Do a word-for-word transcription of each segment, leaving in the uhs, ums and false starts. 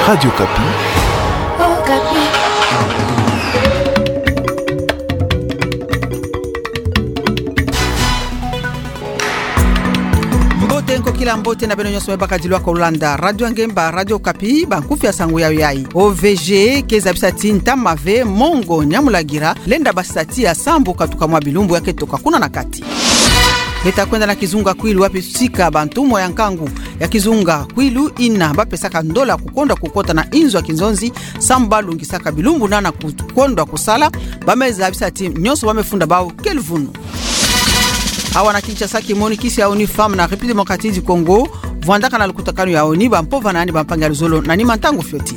Radio Okapi. Okapi. Mbote, nkokila mbote na beno nyonso me bakadilu ya kolanda Radio Ngemba, Radio Okapi. Bankufi ya sango yayo yai. O V G ke zabisa ti ntama ve mongo nyamulagira lenda basisa tiya sambu katuka mwa bilumbu ya ketoka kuna na kati. Beta kwenda na kizunga Kwilu, wapi tusika bantumwa ya nkangu ya kizunga Kwilu ina bapesaka ndola kukondwa kukota na inzo ya kinzonzi, sambu balungisaka bilumbu nana kukondwa kusala, bameza bisa ti nyonso bamefunda bau ke luvunu. Awa na Kinshasa, kimonikisi ya ONU Femmes na République Démocratique du Congo vwandaka na lukutakanu ya ONU, bampovana ni bampangi ya luzolo na nima ntangu fioti.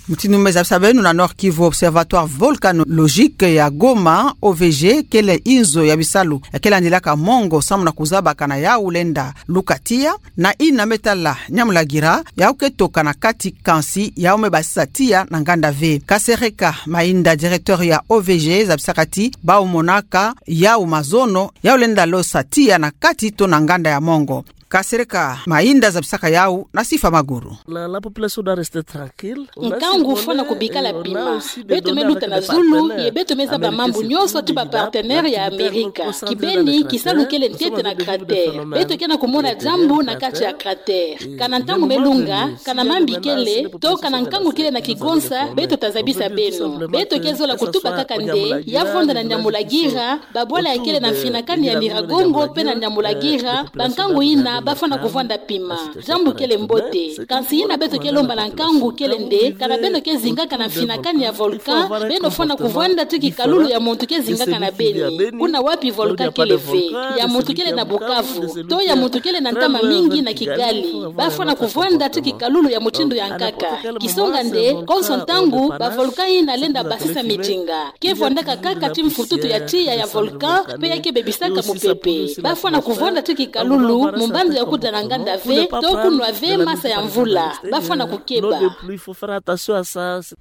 Mutindu meza bisa beno, na Nord-Kivu, Observatoire Volcanologique ya Goma, O V G, kele inzo ya bisalu ya kele landilaka mongo samu na kuzabakana yau lenda luka tiya, na ina me tala nyamulagira yau ketoka na kati, kansi yau me basisa tiya na nganda ve. Kasereka Mainda, directeur ya O V G, zabisaka ti bau monaka yau mazono yau lenda losa tiya na kati to na nganda ya mongo. Kasereka Mainda zabisaka yau na Sifa Maguru. La, la population doit rester tranquille. Nkangu fwana kubikala pima. Beto me luta na zulu, ye beto me zaba mambu nyonso ti bapartenaire ya Amerika. Kibeni, kisalu kele ntete na cratère. Beto ke na kumona diambu na kati ya cratère. Kana ntangu me lunga, kana mambi kele, to kana nkangu kele na kigonsa, beto ta zabisa beno. Beto ke zola kutuba kaka nde ya vwanda na nyamulagira, babwala ya kele na mfinakani ya Nyiragongo pe na nyamulagira, bankangu ina bafwana kuvwanda pima. Diambu kele mbote. Kansi ina beto ke lomba na nkangu kele nde, kana beno ke zingaka na mfinakani ya volcan, beno fwana kuvwanda ti kikalulu ya muntu ke zingaka na beni. Kuna wapi volcan kele ve? Ya muntu kele na Bukavu, to ya muntu kele na ntama mingi na Kigali. Bafwana kuvwanda ti kikalulu ya mutindu ya nkaka. Kisonga nde, konso ntangu, bavolcan ina lenda basisa midinga. Ke vwandaka kaka ti mfututu ya tiya ya volcan, pe ya ke bebisaka mupepe. Bafwana kuvwanda ti kikalulu mu mbandu ya kuda na nganda ve, to kunwa ve masa ya mvula. Bafwana kukeba.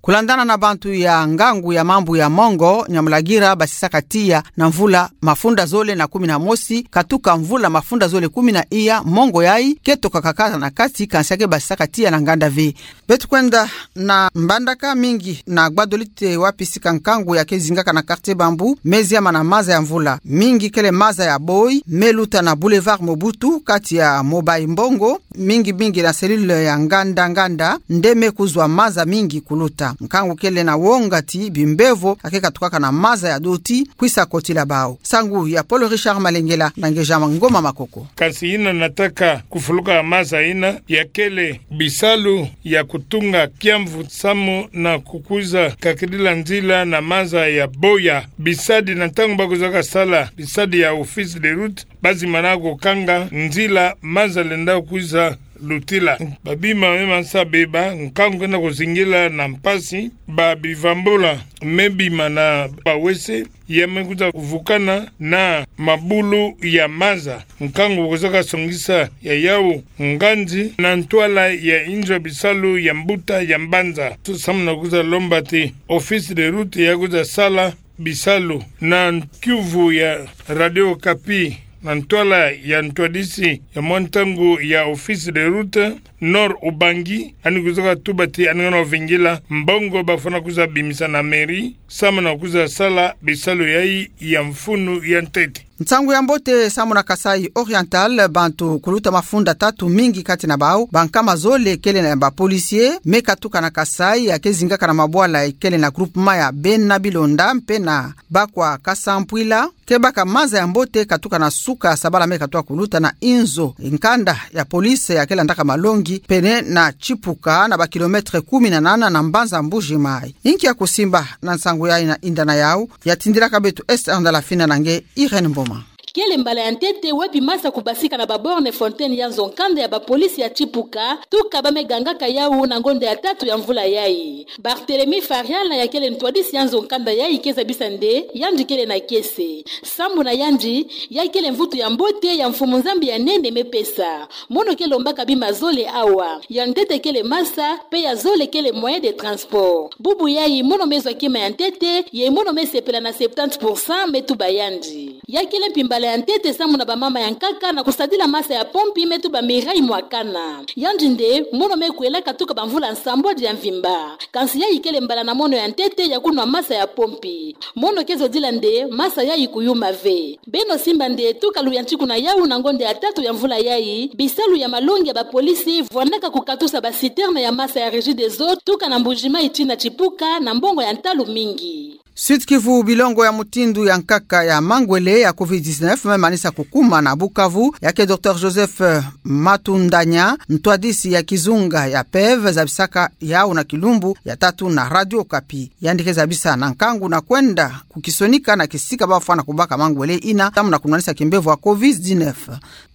Kulandana na bantu ya ngangu ya mambu ya mongo, nyamulagira basisaka tiya na mvula mafunda zole na kumi na mosi, katuka mvula mafunda zole kumi na iya, mongo yai ke tokaka kaka na kati, kansi ya ke basisaka tiya na nganda ve. Beto kwenda na Mbandaka, mingi na Gbadolite, wapi sika nkangu ya ke zingaka na quartier Bambou me ziama na maza ya mvula. Mingi kele maza ya boyi me luta na Boulevard Mobutu, kati ya Mobayi Mbongo, mingi mingi na cellule ya Nganda Nganda, nde me kuzwa maza mingi kuluta. Nkangu kele na wonga ti bimbevo ya ke katukaka na maza ya doti kwisa kotila bau. Nsangu ya Paul Richard Malengela na ngeja Ngoma Makoko. Kansi ina nataka kufuluka maza ina ya kele bisalu ya kutunga kiamvu samu na kukwiza kakidila nzila na maza ya boya. Bisadi na ntangu ba kwizaka sala, bisadi ya Office des Routes, bazimana kukanga nzila maza lenda kwiza lutila. Babima me mansa beba, nkangu ke na kuzingila na mpasi, ba bivambula me bima na bawese, ya me kwiza kuvukana na mabulu ya maza. Nkangu kwizaka songisa ya yau nganzi na ntwala ya inzo ya bisalu ya mbuta ya mbanza. Samu na kwiza lomba ti Office des Routes ya kwiza sala bisalu na kiuvu ya Radio Okapi, na ntwala ya ntwadisi ya mwa ntangu ya Office des Routes, Nord Ubangi, yandi kwizaka tuba ti yandi ngana vingila mbongo bafwana kwiza bimisa na mairie, samu na kwiza sala bisalu yai ya mfunu ya ntete. Nsangu ya mbote samu na Kasaï Oriental, bantu kuluta mafunda tatu, mingi kati na bau bankama zole kele na ba policiers, me katuka na Kasaï ya ke zingaka na mabwala kele na groupement ya Bena Bilonda mpe na Bakwa Kasampwila, ke baka maza ya mbote katuka na suka sabala me katuka kuluta na inzo nkanda ya police ya ke landaka malongi pene na Tshipuka, na ba kilomètres kumi na nana na mbanza Mbuji Mayi. Inki ya kusimba na nsangu yai na inda na yau, ya tindilaka beto Esther Ndala Fina na nge Irène Mboma. Kele mbala ya ntete wapi maza kubasika na ba bornes fontaines ya nzo nkanda ya ba policiers ya Tshipuka, tuka ba me gangaka yau na ngonda ya tatu ya mvula yai. Barthélemy Fariala ya kele ntwadisi ya nzo nkanda yai ke zabisa nde yandi kele na kiese. Samu na yandi, ya kele mvutu ya mbote ya Mfumu Nzambi ya nene me pesa. Mono ke lombaka bima zole awa. Ya ntete kele maza, mpe ya zole kele moyen de transport. Bubu yai mono me zwa kima ya ntete, ye mono me sepela na septante pour cent, me tuba yandi. Ya kele mpi mbala ya ntete samu na bamama ya nkaka na kusadila masa ya pompi me tuba Mireille Mwakana. Yandi nde mono me kwelaka tuka bamvula nsambwadi ya mvimba. Kansi ya ikele mbala na mono ya ntete ya kunwa masa ya pompi. Mono ke zodila nde masa yayi kuyuma ve. Beno simba nde tuka luyantiku na yawu na ngonda ya tatu ya mvula yayi, bisalu ya malongi ya bapolisi vwandaka kukatusa baciterne ya masa ya Regideso tuka na Mbuji-Mayi tii na Tipuka na mbongo ya ntalu mingi. Sud-Kivu, bilongo ya mutindu ya nkaka ya mangwele ya covid dix-neuf me manisa kukuma na Bukavu, ya ke Docteur Joseph Matundanya, ntwadisi ya kizunga ya P E V, zabisaka yawu na kilumbu ya tatu na Radio Okapi. Yandi ke zabisa na nkangu na kwenda kukisonika na kisika bafwana kubaka mangwele ina, samu na kunwanisa kimbevo ya covid dix-neuf.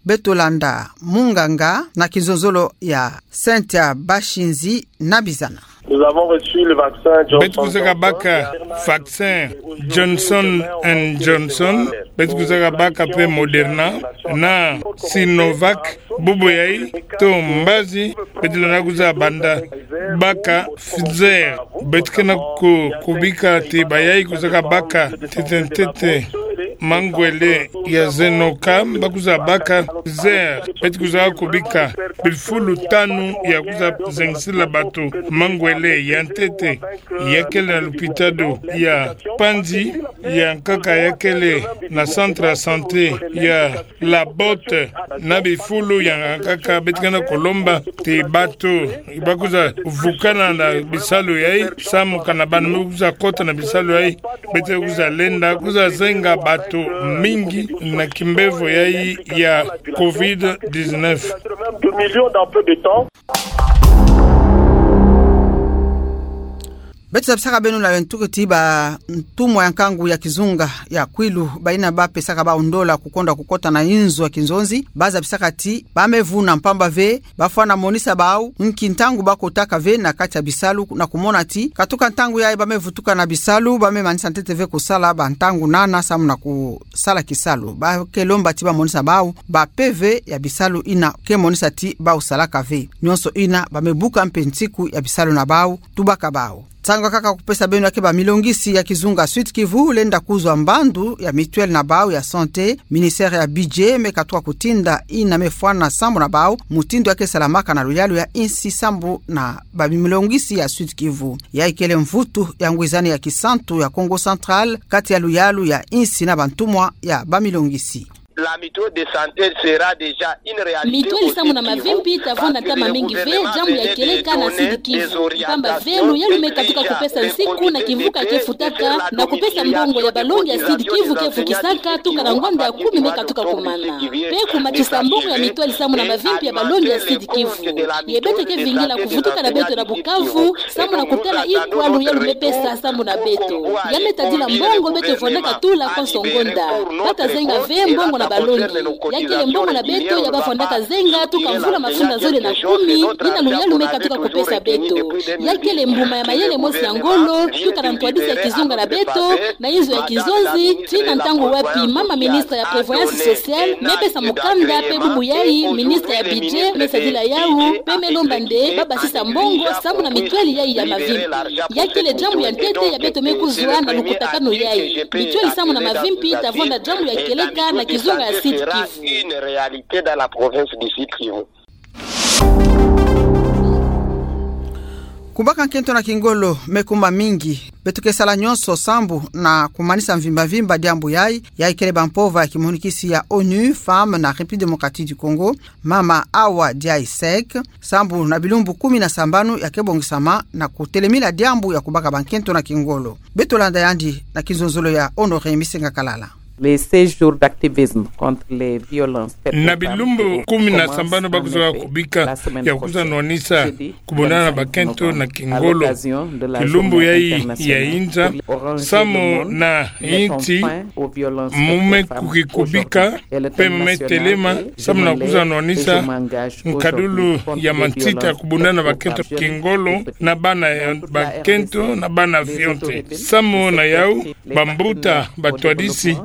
Beto landa munganga na kizololo ya Cynthia Bashinzi na bizana. Nous avons reçu le vaccin Johnson Beto kuzaka baka vaccin Johnson and Johnson, beto kuzaka baka pe Moderna na Sinovac, bubu yayi to mbazi, beto lenda kuza banda baka Pfizer. Beto kena ku-, kubika ti bayayi kuzaka baka ntete ntete mangwele ya zenoka, bakuza baka Pfizer. Beto kuza kubika bifulu tanu ya kuza zengisila bato mangwele ya ntete, ya kele na lupitalu ya Panzi, ya nkaka ya kele na centre ya santé ya La Botte, na bifulu ya nkaka. Beto kena kulomba ti bato bakuza vukana na bisalu yayi, samu kana bana me kuza kota na bisalu yayi, beto kuza lenda kuza zenga bato mingi na kimbevo yayi ya covid dix-neuf. Deux millions dans peu de temps. Beto zabisaka beno na yo ntuku ti bantumwa ya nkangu ya kizunga ya Kwilu, bayina bapesaka bawu ndola kukonda kukota na inzo ya kinzonzi, bazabisaka ti ba me vuna mpamba ve, bafwana monisa bawu nki ntangu bakotaka ve na kati ya bisalu, na kumona ti katuka ntangu yayi ba me vutuka na bisalu, ba me manisa ntete ve kusala bantangu nana samu na kusala kisalu. Ba ke lomba ti bamonisa bawu ba P V ya bisalu yina ke monisa ti bawu salaka ve. Nyonso yina ba me buka mpe nsiku ya bisalu na bawu, tubaka bawu. Nsangu ya nkaka kupesa beno ya ke bamilongisi ya kizunga Sud-Kivu lenda kuzwa mbandu ya mutuelle na bawu ya santé, ministère ya budget me katuka kutinda yina me fwana sambu na bawu mutindu ya ke salamaka na luyalu ya insi sambu na bamilongisi ya Sud-Kivu. Ya ikele mvutu ya ngwizani ya kisantu ya Kongo Central kati ya luyalu ya insi na bantumwa ya bamilongisi. La mutuelle de santé sera déjà une réalité. Mutuelle samu na mavimpi ta vwanda ntama mingi ve diambu ya kieleka na Sud-Kivu. Mpamba ve luyalu me katuka kupesa nsiku na kimvuka ke futaka na kupesa mbongo ya balongi ya Sud-Kivu ke vukisaka tuka na ngonda ya kumi me katuka kumana. Pe kumatisa mbongo ya mutuelle samu na mavimpi ya balongi ya Sud-Kivu. Ye beto ke vingila kuvutuka na beto na Bukavu, samu na kutala ikwa luyalu me pesa sambu na beto. Ya me tadila mbongo beto vwandaka tula konso ngonda. Bata zenga ve mbongo na balongi. Ya kele mbongo na beto ya bavwandaka zenga tuka mvula mafunda zole na kumi, yina luyalu me katuka kupesa beto. Ya kele mbuma ya mayele mosi ya ngolo, tuka na ntwadisi ya kizunga na beto, na inzo ya kinzonzi, tii na ntangu wapi mama ministre ya prévoyance sociale me pesa mukanda, pe bubu yayi ministre ya budget me sadila yawu, pe me lomba nde babasisa mbongo sambu na mutuelle yayi ya mavimpi. Ya kele diambu ya ntete ya beto me kuzwa na lukutakanu yayi. Mutuelle samu na mavimpi ta vwanda diambu ya kieleka na kizunga ya Sud-Kivu. Une réalité dans la province du Sud-Kivu. Kubaka nkento na kingolo me kuma mingi. Beto ke sala nyonso sambu na kumanisa mvimba mvimba diambu yayi. Ya ikele bampova ya kimonikisi ya ONU Femmes na République Démocratique du Congo, mama Awa Ndiaye Seck, sambu na bilumbu kumi na sambanu ya ke bongisama na kutelemila diambu ya kubaka bankento na kingolo. Beto landa yandi na kinzonzolo ya Honoré Misenga Kalala. Les seize jours d'activisme contre les violences faites aux femmes. Na bilumbu kumi na sambanu ba kuzwa kubika ya kuzwa nwanisa kubundana na bakento na kingolo. Kilumbu yayi ya inza, samu na insi mu me kukikubika, pe mu me telema, samu na kuzwa nwanisa nkadulu ya mansita kubundana na bakento kingolo, na bana ya bakento, na bana fioti. Samu na yawu, bambuta, batwadisi,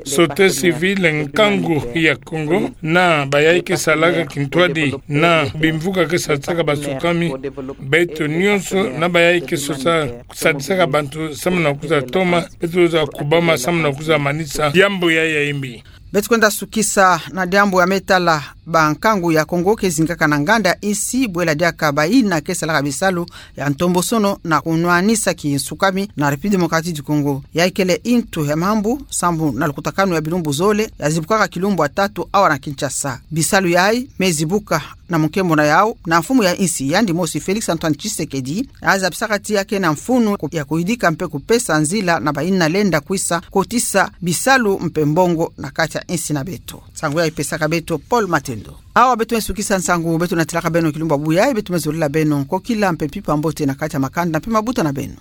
Société civile, nkangu ya Kongo, na bayayi ke salaka kintwadi na bimvuka ke sadisaka basukami, beto nyonso na bayayi ke sosa sadisaka bantu samu na kuza toma, beto za kubama samu na kuza manisa diambu yayi ya imbi. Beto kwenda sukisa na diambu ya me tala bankangu ya Kongo ke zingaka na nganda insi, bwela diaka bayina ke salaka bisalu ya ntombosono na kunwanisa kinsukami na République Démocratique du Congo. Yayi kele ntu ya mambu sambu na lukutakanu ya bilumbu zole, ya zibukaka kilumbu ya tatu awa na Kinshasa. Bisalu yayi me zibuka na munkembo na yau na mfumu ya insi yandi mosi Félix Antoine Tshisekedi, azabisaka ti ya ke na mfunu ya kuyidika mpe kupesa nzila na bayina lenda kwisa kotisa bisalu mpe mbongo na kati ya insi na beto. Nsangu yayi pesaka beto Paul Matendo. Awa beto me sukisa nsangu, beto natilaka beno kilumbu ya buya, beto me zolila beno nkokila mpe mpimpa mbote na kati ya makanda mpe mabuta na beno.